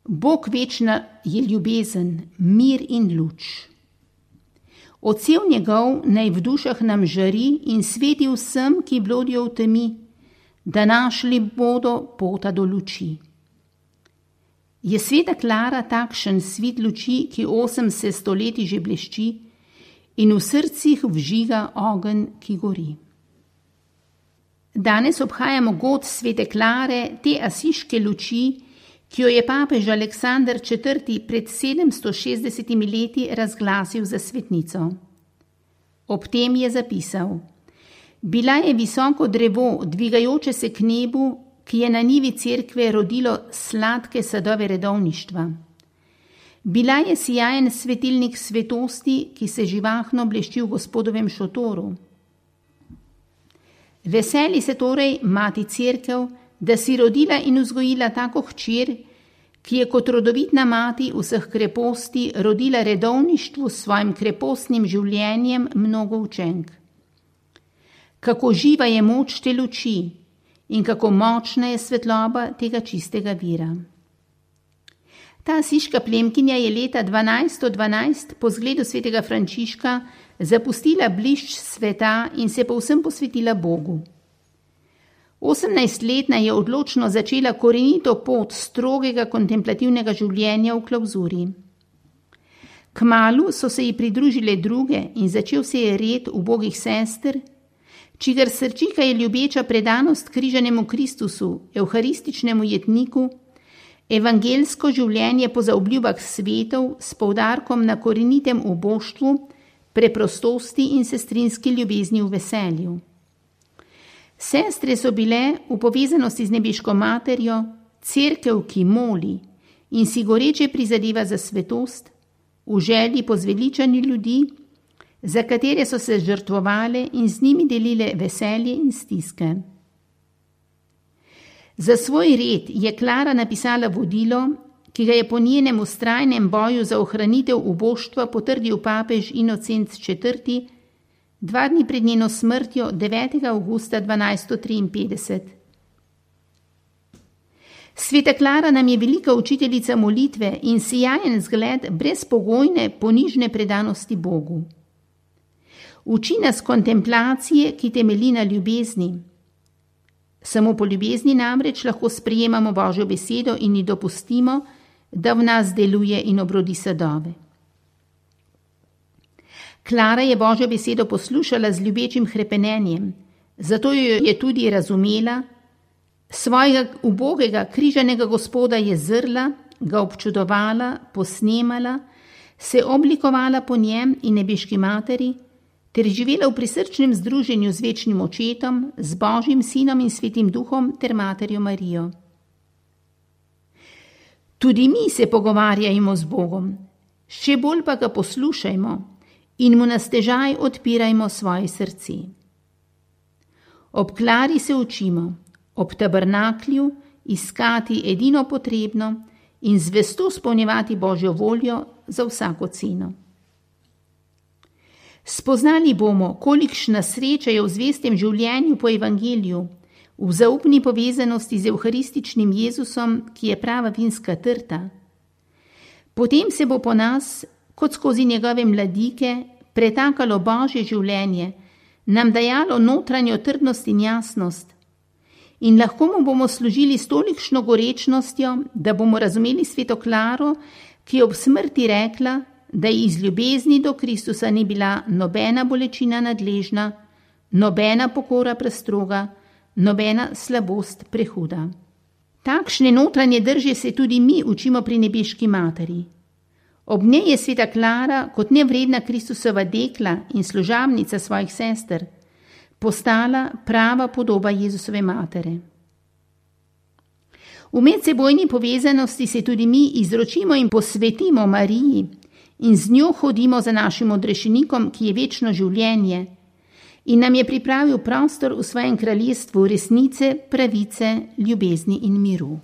Bog večna je ljubezen, mir in luč. Odsev njegov naj v dušah nam žari in sveti vsem, ki blodijo v temi, da našli bodo pota do luči. Je sveta Klara takšen svit luči, ki 80 stoletij že blešči in v srcih vžiga ogenj, ki gori. Danes obhajamo god svete Klare, te asiške luči, ki jo je papež Aleksander IV. Pred 760 leti razglasil za svetnico. Ob tem je zapisal: Bila je visoko drevo, dvigajoče se k nebu, ki je na njivi cerkve rodilo sladke sadove redovništva. Bila je sijajen svetilnik svetosti, ki se živahno blešči v Gospodovem šotoru. Veseli se torej mati cerkev, da si rodila in vzgojila tako hčer, ki je kot rodovitna mati vseh kreposti rodila redovništvu s svojim krepostnim življenjem mnogo učenk. Kako živa je moč te luči in kako močna je svetloba tega čistega vira. Ta asiška plemkinja je leta 1212 po zgledu svetega Frančiška zapustila blišč sveta in se povsem posvetila Bogu. 18-letna je odločno začela korenito pot strogega kontemplativnega življenja v klauzuri. Kmalu so se ji pridružile druge in začel se je red ubogih sester, čigar srčika je ljubeča predanost križanemu Kristusu, evharističnemu jetniku, evangelsko življenje po zaobljubah svetov s poudarkom na korenitem uboštvu, preprostosti in sestrinski ljubezni v veselju. Sestre so bile v povezanosti z nebeško materjo, cerkev, ki moli in si goreče prizadeva za svetost, v želji po zveličanju ljudi, za katere so se žrtvovale in z njimi delile veselje in stiske. Za svoj red je Klara napisala vodilo, ki ga je po njenem vztrajnem boju za ohranitev uboštva potrdil papež Inocenc IV. 2 dni pred njeno smrtjo 9. avgusta 1253. Sveta Klara nam je velika učiteljica molitve in sijajen zgled brezpogojne ponižne predanosti Bogu. Uči nas kontemplacije, ki temelji na ljubezni. Samo po ljubezni namreč lahko sprejemamo Božjo besedo in ji dopustimo, da v nas deluje in obrodi sadove. Klara je Božjo besedo poslušala z ljubečim hrepenenjem, zato jo je tudi razumela, svojega ubogega križanega Gospoda je zrla, ga občudovala, posnemala, se oblikovala po njem in nebeški materi, ter živela v prisrčnem združenju z večnim očetom, z Božjim sinom in svetim duhom ter materjo Marijo. Tudi mi se pogovarjajmo z Bogom, še bolj pa ga poslušajmo in mu na stežaj odpirajmo svoje srce. Ob Klari se učimo, ob tabernaklju iskati edino potrebno in zvesto izpolnjevati Božjo voljo za vsako ceno. Spoznali bomo, kolikšna sreča je v zvestem življenju po evangeliju, v zaupni povezanosti z evharističnim Jezusom, ki je prava vinska trta. Potem se bo po nas, kot skozi njegove mladike, pretakalo Božje življenje, nam dajalo notranjo trdnost in jasnost. In lahko mu bomo služili s tolikšno gorečnostjo, da bomo razumeli sveto Klaro, ki je ob smrti rekla, da ji iz ljubezni do Kristusa ni bila nobena bolečina nadležna, nobena pokora prestroga, nobena slabost prehuda. Takšne notranje drže se tudi mi učimo pri nebeški materi. Ob njej je sveta Klara kot nevredna Kristusova dekla in služabnica svojih sester postala prava podoba Jezusove matere. V medsebojni povezanosti se tudi mi izročimo in posvetimo Mariji in z njo hodimo za našim odrešenikom, ki je večno življenje in nam je pripravil prostor v svojem kraljestvu resnice, pravice, ljubezni in miru.